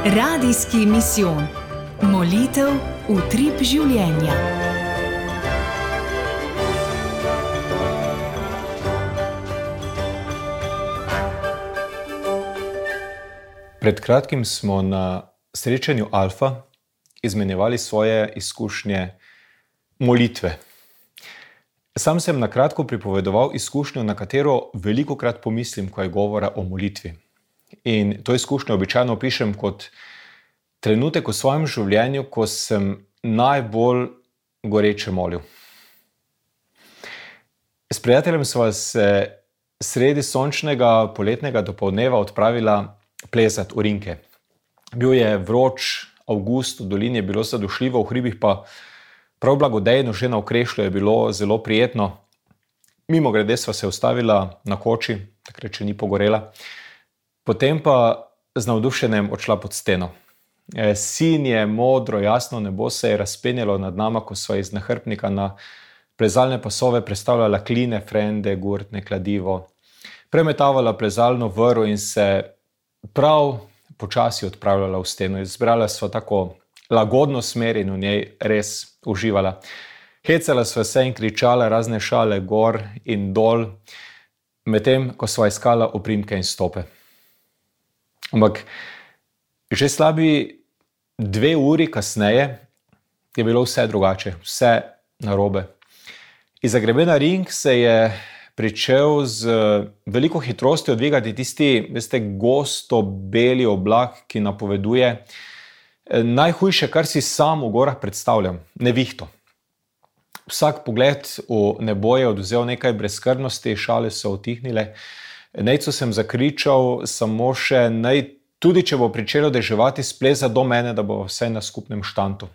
Radijski misijon. Molitev utrip življenja. Pred kratkim smo na srečanju Alfa izmenjevali svoje izkušnje molitve. Sam sem na kratko pripovedoval izkušnjo, na katero velikokrat pomislim, ko je govora o molitvi. In to izkušnjo običajno opišem kot trenutek v svojem življenju, ko sem najbolj goreče molil. S prijateljem sva se sredi sončnega poletnega dopoldneva odpravila plezat v Rinke. Bil je vroč avgust, v dolini je bilo zadušljivo, v hribih pa prav blagodejno, že na Okrešlju je bilo zelo prijetno. Mimogrede sva se ustavila na koči, takrat še ni pogorela. Potem pa z navdušenjem odšla pod steno. Sinje, modro, jasno nebo se je razpenjalo nad nama, ko sva iz nahrbtnika na plezalne pasove prestavljala kline, frende, gurtne, kladivo. Premetavala plezalno vrv in se prav počasi odpravljala v steno. Izbrala sva tako lagodno smer in v njej res uživala. Hecala sva se in kričala razne šale gor in dol, medtem ko sva iskala oprimke in stope. Ampak že slabi 2 uri kasneje je bilo vse drugače, vse narobe. Izza grebena Rink se je pričel z veliko hitrostjo dvigati tisti, gosto beli oblak, ki napoveduje najhujše, kar si sam v gorah predstavljam, nevihto. Vsak pogled v nebo je odvzel nekaj brezskrbnosti, šale so utihnile. Nejcu sem zakričal samo še, naj tudi če bo pričelo deževati, spleza do mene, da bo vse na skupnem štantu.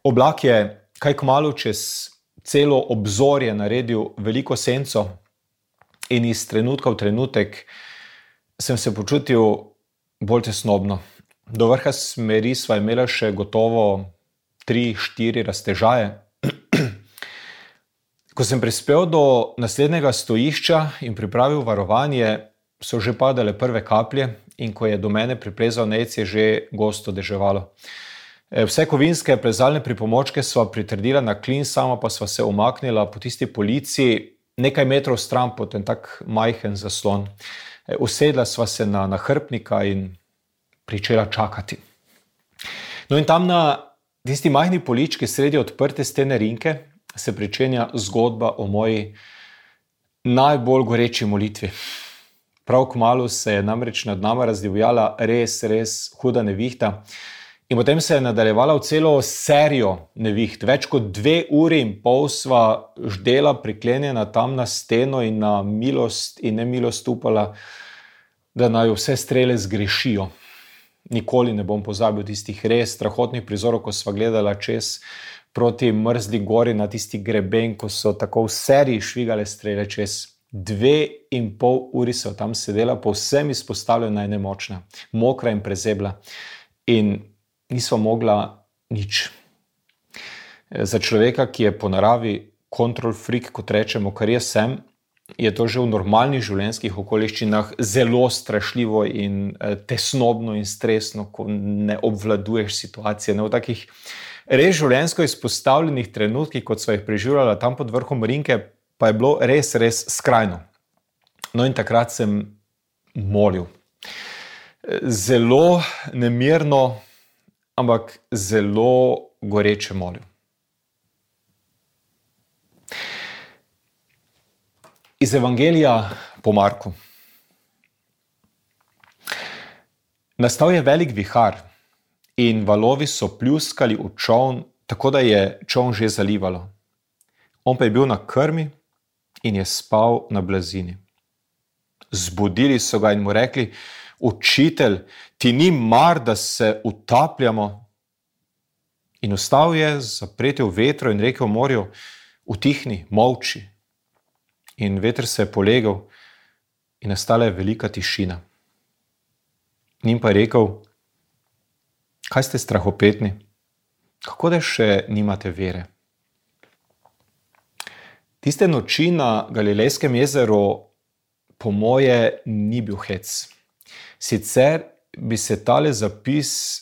Oblak je kaj kmalu čez celo obzorje naredil veliko senco in iz trenutka v trenutek sem se počutil bolj tesnobno. Do vrha smeri sva imela še gotovo 3-4 raztežaje. Ko sem prispel do naslednjega stojišča in pripravil varovanje, so že padale prve kaplje in ko je do mene priplezal Nejc, je že gosto deževalo. Vse kovinske plezalne pripomočke sva pritrdila na klin, sama pa sva se umaknila po tisti polici nekaj metrov stran pod en tak majhen zaslon. Usedla sva se na nahrbtnika in pričela čakati. No in tam na tisti majhni polički sredi odprte stene Rinke se pričenja zgodba o moji najbolj goreči molitvi. Prav kmalu se je namreč nad nama razdivjala res huda nevihta in potem se je nadaljevala v celo serijo neviht. Več kot 2 uri in pol sva ždela priklenjena tam na steno in na milost in nemilost upala, da naj vse strele zgrešijo. Nikoli ne bom pozabil tistih res strahotnih prizorov, ko sva gledala čez proti mrzli gori na tisti greben, ko so tako v seriji švigale strele čez. 2,5 uri so tam sedela, povsem izpostavljena in nemočna, mokra in prezebla in nisva mogla nič. Za človeka, ki je po naravi control freak, kot rečemo, kar jaz sem, je to že v normalnih življenjskih okoliščinah zelo strašljivo in tesnobno in stresno, ko ne obvladuješ situacije. V takih res življenjsko izpostavljenih trenutkih, kot sva jih preživljala tam pod vrhom Rinke, pa je bilo res skrajno. No in takrat sem molil. Zelo nemirno, ampak zelo goreče molil. Iz Evangelija po Marku. Nastal je velik vihar in valovi so pljuskali v čoln, tako da je čoln že zalivalo. On pa je bil na krmi in je spal na blazini. Zbudili so ga in mu rekli: Učitelj, ti ni mar, da se utapljamo? In vstal je, zapretel vetro in rekel morju: Utihni, molči. In veter se je polegel in nastala je velika tišina. Njim pa je rekel: Kaj ste strahopetni? Kako da še nimate vere? Tiste noči na Galilejskem jezeru po moje ni bil hec. Sicer bi se tale zapis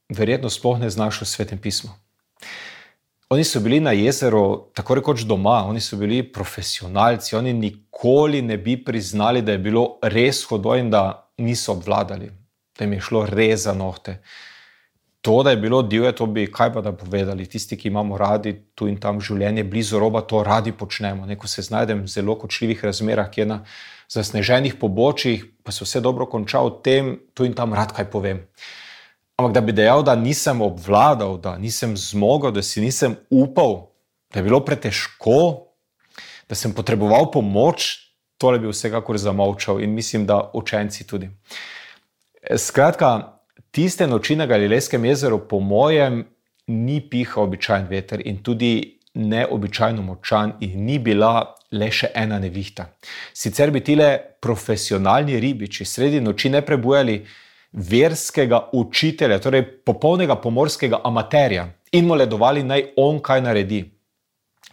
verjetno sploh ne znašel v Svetem pismu. Oni so bili na jezeru tako rekoč doma, oni so bili profesionalci, oni nikoli ne bi priznali, da je bilo res hudo in da niso obvladali, da jim je šlo res za nohte. To, da je bilo divje, to bi kaj pa da povedali. Tisti, ki imamo radi tu in tam življenje blizu roba, to radi počnemo. Ko se znajdem v zelo kočljivih razmerah, kjer na zasneženih pobočjih, pa se vse dobro konča, o tem tu in tam rad kaj povem. Ampak da bi dejal, da nisem obvladal, da nisem zmogel, da si nisem upal, da je bilo pretežko, da sem potreboval pomoč, tole bi vsekakor zamolčal in mislim, da učenci tudi. Skratka, tiste noči na Galilejskem jezeru po mojem ni pihal običajen veter in tudi neobičajno močan in ni bila le še ena nevihta. Sicer bi tile profesionalni ribiči sredi noči ne prebujali verskega učitelja, torej popolnega pomorskega amaterja in moledovali naj on kaj naredi.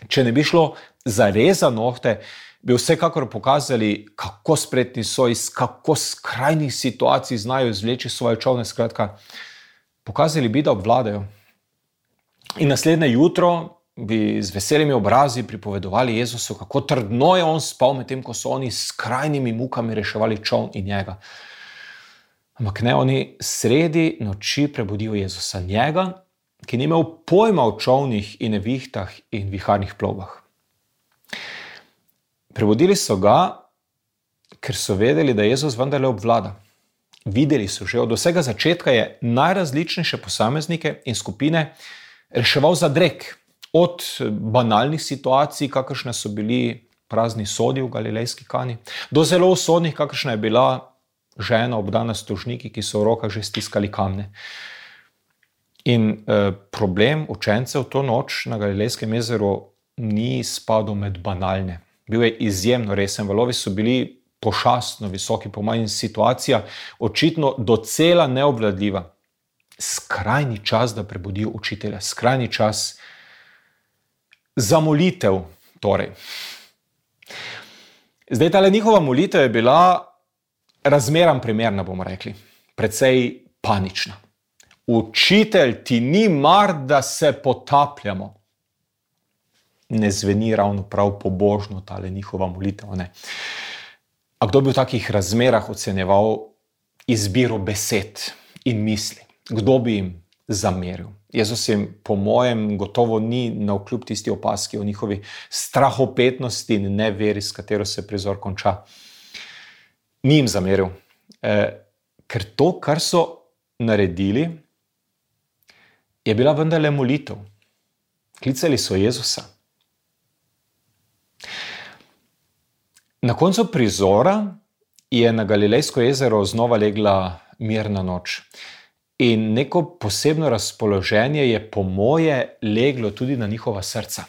Če ne bi šlo zares za nohte, bi vsekakor pokazali, kako spretni so, iz kako skrajnih situacij znajo izvleči svoje čolne, skratka, pokazali bi, da obvladajo. In naslednje jutro bi z veselimi obrazi pripovedovali Jezusu, kako trdno je on spal, medtem ko so oni s skrajnimi mukami reševali čoln in njega. Ampak ne, oni sredi noči prebudijo Jezusa, njega, ki ni imel pojma o čolnih in nevihtah in viharnih plovbah. Prebudili so ga, ker so vedeli, da Jezus vendarle obvlada. Videli so že, od vsega začetka je najrazličnejše posameznike in skupine reševal za drek. Od banalnih situacij, kakršne so bili prazni sodi v Galilejski Kani, do zelo usodnih, kakršna je bila žena obdana s tožniki, ki so v rokah že stiskali kamne. In problem učencev to noč na Galilejskem jezeru ni spadal med banalne. Bil je izjemno resen, valovi so bili pošastno visoki, po mojem situacija očitno docela neobvladljiva. Skrajni čas, da prebudijo učitelja, skrajni čas za molitev torej. Zdaj, tale njihova molitev je bila razmeram primerna, bomo rekli, precej panična. Učitelj, ti ni mar, da se potapljamo. Ne zveni ravno prav pobožno tale njihova molitev, ne. A kdo bi v takih razmerah ocenjeval izbiro besed in misli? Kdo bi jim zameril? Jezus jim po mojem gotovo ni navkljub tisti opaski o njihovi strahopetnosti in neveri, s katero se prizor konča. Ni jim zameril, ker to, kar so naredili, je bila vendarle molitev. Klicali so Jezusa. Na koncu prizora je na Galilejsko jezero znova legla mirna noč. In neko posebno razpoloženje je po moje leglo tudi na njihova srca.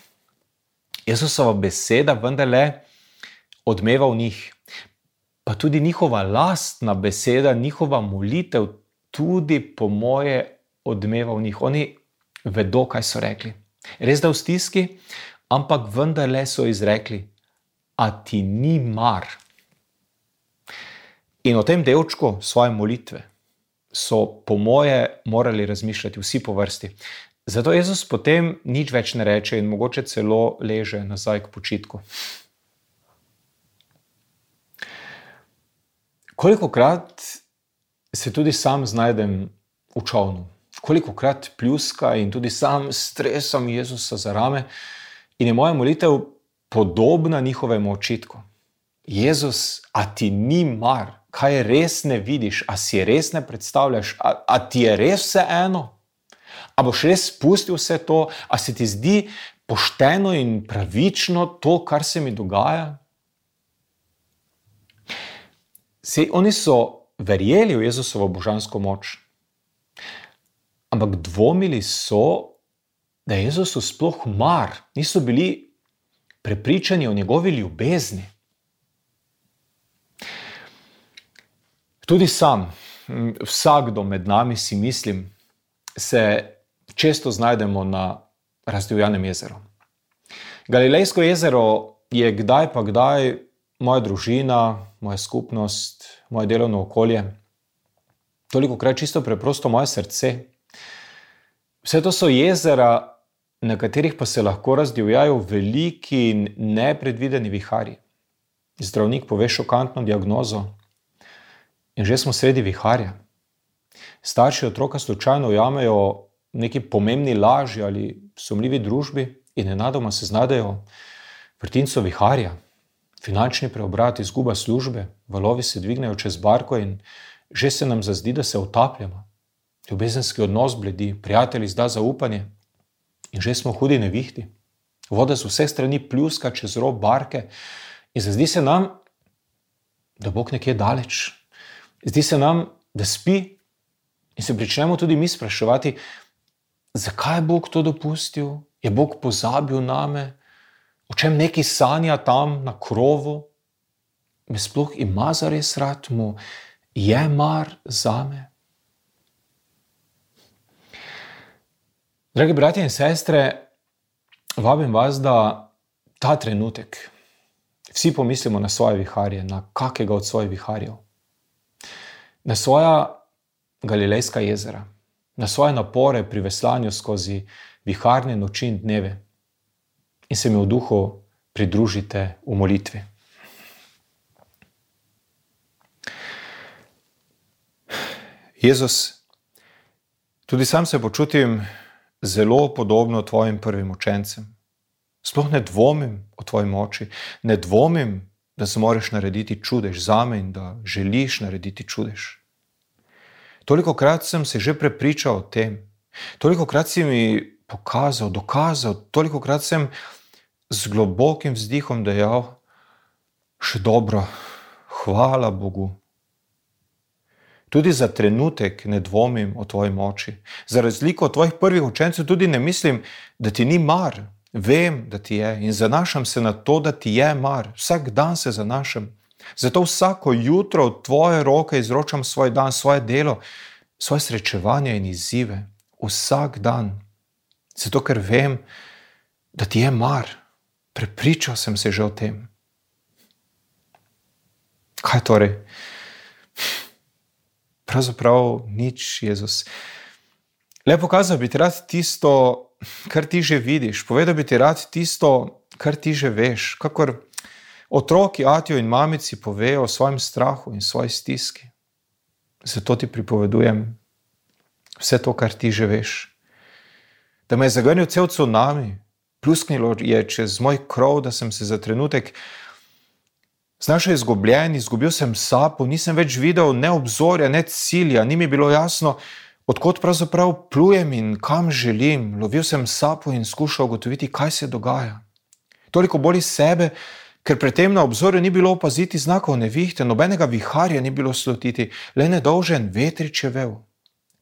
Jezusova beseda vendarle odmeva v njih. Pa tudi njihova lastna beseda, njihova molitev tudi po moje odmeva v njih. Oni vedo, kaj so rekli. Res da v stiski, ampak vendarle so izrekli: a ti ni mar. In o tem delčku svoje molitve so po moje morali razmišljati vsi po vrsti. Zato Jezus potem nič več ne reče in mogoče celo leže nazaj k počitku. Kolikokrat se tudi sam znajdem v čolnu, kolikokrat pljuska in tudi sam stresam Jezusa za rame in je moja molitev podobna njihovemu očitku. Jezus, a ti ni mar? Kaj res ne vidiš? A si res ne predstavljaš? A ti je res vseeno? A boš res spustil vse to? A se ti zdi pošteno in pravično to, kar se mi dogaja? Saj oni so verjeli v Jezusovo božansko moč, ampak dvomili so, da je Jezusu sploh mar. Niso bili prepričani o njegovi ljubezni. Tudi sam, vsakdo med nami si mislim, se često znajdemo na Razdivjanem jezeru. Galilejsko jezero je kdaj pa kdaj moja družina, moja skupnost, moje delovno okolje. tolikokrat čisto preprosto moje srce. Vse to so jezera, na katerih pa se lahko razdivjajo veliki in nepredvideni viharji. Zdravnik pove šokantno diagnozo in že smo sredi viharja. Starši otroka slučajno ujamejo neki pomembni laži ali sumljivi družbi in nenadoma se znajdejo v vrtincu viharja. Finančni preobrat, izguba službe, valovi se dvignejo čez barko in že se nam zazdi, da se utapljamo. Ljubezenski odnos bledi, prijatelj izda zaupanje in že smo v hudi nevihti. Voda z vseh strani pljuska čez rob barke in zazdi se nam, da Bog nekje daleč. Zdi se nam, da spi in se pričnemo tudi mi spraševati, zakaj je Bog to dopustil? Je Bog pozabil name? O čem neki sanja tam na krovu? Me sploh ima zares rad? Mu je mar zame? Dragi bratje in sestre, vabim vas, da ta trenutek vsi pomislimo na svoje viharje, na kakega od svojih viharjev, na svoja galilejska jezera, na svoje napore pri veslanju skozi viharne noči in dneve in se mi v duhu pridružite v molitvi. Jezus, tudi sam se počutim zelo podobno tvojim prvim učencem. Sploh ne dvomim o tvoji moči, ne dvomim, da zmoreš narediti čudež zame in da želiš narediti čudež. Tolikokrat sem se že prepričal o tem, tolikokrat si mi pokazal, dokazal, tolikokrat sem z globokim vzdihom dejal, še dobro, hvala Bogu. Tudi za trenutek ne dvomim o tvoji moči. Za razliko od tvojih prvih učencev tudi ne mislim, da ti ni mar. Vem, da ti je in zanašam se na to, da ti je mar. Vsak dan se zanašam. Zato vsako jutro v tvoje roke izročam svoj dan, svoje delo, svoje srečevanje in izzive. Vsak dan. Zato, ker vem, da ti je mar. Prepričal sem se že o tem. Kaj torej? Pravzaprav nič, Jezus. Le pokazal bi ti rad tisto, kar ti že vidiš. Povedal bi ti rad tisto, kar ti že veš. Kakor otroki atijo in mamici povejo o svojem strahu in svoji stiski. Zato ti pripovedujem vse to, kar ti že veš. Da me je zagrnil cel cunami, plusknilo je čez moj krov, da sem se za trenutek znašel izgubljen, izgubil sem sapo, nisem več videl ne obzorja, ne cilja, ni mi bilo jasno, odkot pravzaprav plujem in kam želim. Lovil sem sapo in skušal ugotoviti, kaj se dogaja. Toliko bolj sebe, ker pred tem na obzorju ni bilo opaziti znakov nevihte, nobenega viharja ni bilo slutiti, le nedolžen vetrič je vel.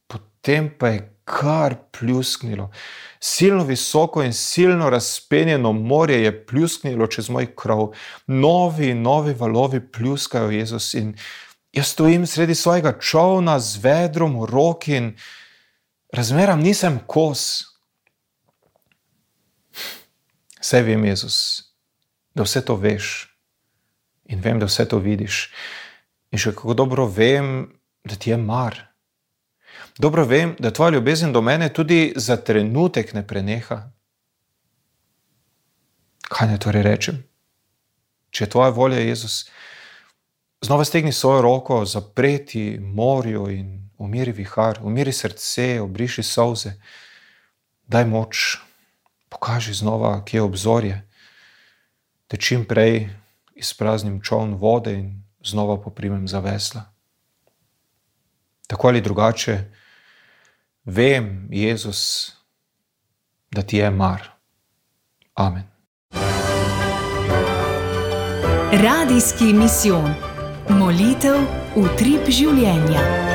Potem pa je kar pljusknilo. Silno visoko in silno razpenjeno morje je pljusknilo čez moj krov. Novi valovi pljuskajo, Jezus, in jaz stojim sredi svojega čolna z vedrom v roki in razmeram nisem kos. Saj vem, Jezus, da vse to veš in vem, da vse to vidiš. In še kako dobro vem, da ti je mar. Dobro vem, da tvoja ljubezen do mene tudi za trenutek ne preneha. Kaj naj torej rečem? Če je tvoja volja, Jezus, znova stegni svojo roko, zapreti morju in umiri vihar, umiri srce, obriši solze. Daj moč, pokaži znova, kje je obzorje, da čim prej izpraznim čoln vode in znova poprimem za vesla. Tako ali drugače, vem, Jezus, da ti je mar. Amen. Radijski misijon. Molitev utrip življenja.